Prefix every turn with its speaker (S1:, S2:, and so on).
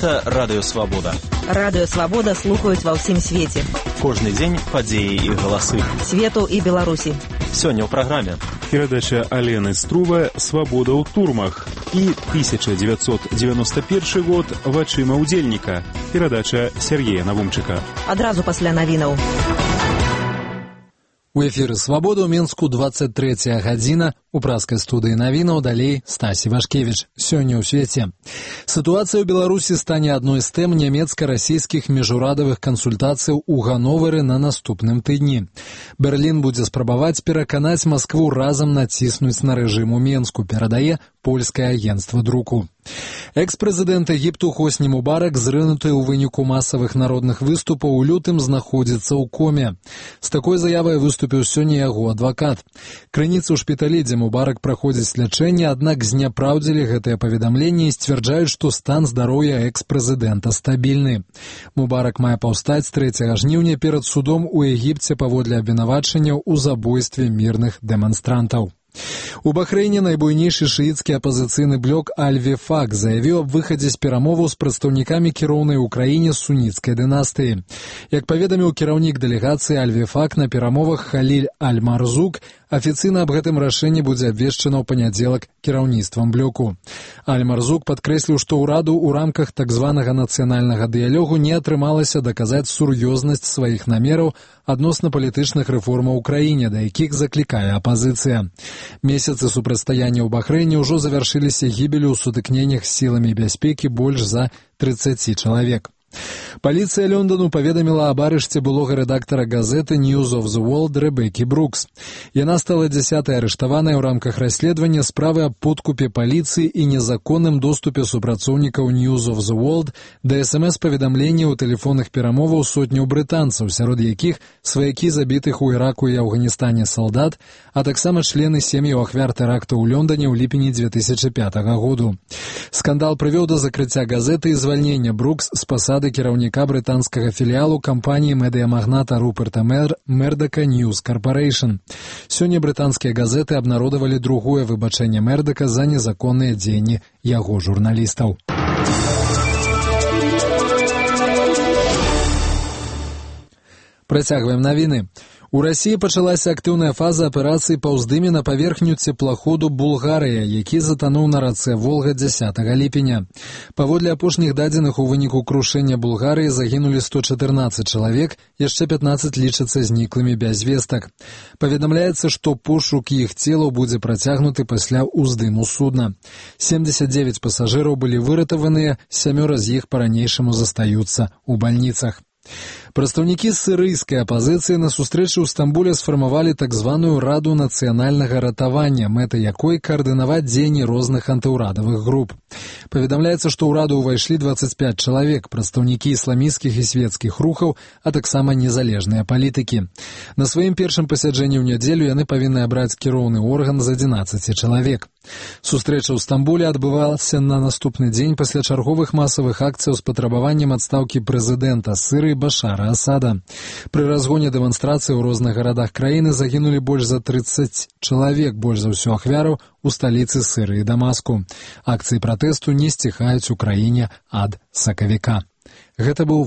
S1: Гэта Радыё Свабода.
S2: Радыё Свабода слухаюць ва ўсім свеце.
S1: Кожны дзень падзеі і галасы.
S2: Свету і Беларусі.
S1: Сёння ў праграме.
S3: Перадача Алены Струва «Свабода ў турмах» і 1991 год «Вачыма ўдзельніка». Перадача Сергея Навумчыка.
S2: Адразу пасля навінаў.
S4: У эфіры «Свабода» ў Мінску 23 гадзіна. У праскай студыі навінаў далей Стасі Вашкевіч. Сёння ў свеце. Сітуацыя ў Беларусі стане адной з тэм нямецка-расійскіх міжурадавых кансультацыяў у Гановеры на наступным тыдні. Берлін будзе спрабаваць пераканаць Маскву разам націснуць на рэжым у Менску, перадае польскае агенцтва друку. Экс-прэзідэнт Егіпту Хосні Мубарак, зрынуты ў выніку масавых народных выступаў у лютым, знаходзіцца ў коме. З такой заявай выступіў сёння яго адвакат. Крыніцы ў шпіталі, дзе Мубарак праходзіць лячэнне, аднак зняпраўдзілі гэтае паведамленне і сцвярджаюць, што стан здароўя экс-прэзідэнта стабільны. Мубарак мае паўстаць 3 жніўня перад судом у Егіпце паводле абвінавачанняў у забойстве мірных дэманстрантаў. У Бахрэйне найбуйнейшы шыіцкі апазіцыйны блок Аль-Вефак заявіў аб выхадзе з перамоваў з прадстаўнікамі кіроўнай у краіне суніцкай дынастыі. Як паведаміў кіраўнік дэлегацыі Аль-Вефак на перамовах Халіль Аль-Марзук, афіцыйна аб гэтым рашэнні будзе абвешчана ў панядзелак кіраўніцтвам блоку. Аль-Марзук падкрэсліў, што ўраду ў рамках так званага нацыянальнага дыялогу не атрымалася даказаць сур'ёзнасць сваіх намераў адносна палітычных рэформаў у краіне, да якіх заклікае апазіцыя. Месяцы супрацьстаяння ў Бахрэйне ўжо завяршыліся гібелю ў сутыкненнях з сіламі бяспекі больш за 30 чалавек. Паліцыя Лондону паведаміла аб арышце былога рэдактара газеты News of the World Рэбекі Брукс. Яна стала 10-й арыштаванай у рамках расследавання справы аб подкупе паліцыі і незаконным доступе супрацоўнікаў News of the World да СМС-паведамленняў у тэлефонных перамоваў сотняў брытанцаў, сярод якіх сваякі забітых у Іраку і Афганістане салдат, а таксама члены сем'яў ахвяр тэракту ў Лондоне ў ліпені 2005 году. Скандал прывёў да закрыцця газеты і звальнення Брукс з пасады кіраўніка брытанскага філіялу кампаніі медыямагната Руперта Мердака News Corporation. Сёння брытанскія газеты абнародавалі другое выбачэнне Мердака за незаконныя дзеянні яго журналістаў. Працягваем навіны. У Расіі пачалася актыўная фаза аперацыі па ўздыме на паверхню цеплаходу «Булгарыя», які затануў на рацэ Волга 10 ліпеня. Паводле апошніх дадзеных, у выніку крушэння «Булгарыі» загінулі 114 чалавек, яшчэ 15 лічацца зніклымі без вестак. Паведамляецца, што пошук іх целаў будзе працягнуты пасля ўздыму судна. 79 пасажыраў былі выратаваныя, 7 з іх па-ранейшаму застаюцца ў бальніцах. Прадстаўнікі сірыйскай апазіцыі на сустрэчы ў Стамбуле сфармавалі так званую Раду нацыянальнага ратавання, мэта якой каардынаваць дзеянні розных антыўрадавых груп. Паведамляецца, што ў раду ўвайшлі 25 чалавек, прадстаўнікі ісламісцкіх і свецкіх рухаў, а таксама незалежныя палітыкі. На сваім першым пасяджэнні ў нядзелю яны павінны абраць кіроўны орган з 11 чалавек. Сустрэча ў Стамбуле адбывалася на наступны дзень пасля чарговых масавых акцыяў з патрабаваннем адстаўкі прэзідэнта Сірыі Башара Асада. Пры разгоне дэманстрацыі ў розных гарадах краіны загінулі больш за 30 чалавек, больш за ўсё ахвяраў у сталіцы Сірыі Дамаску. Акцыі пратэсту не сціхаюць у краіне ад сакавіка. Гэта быў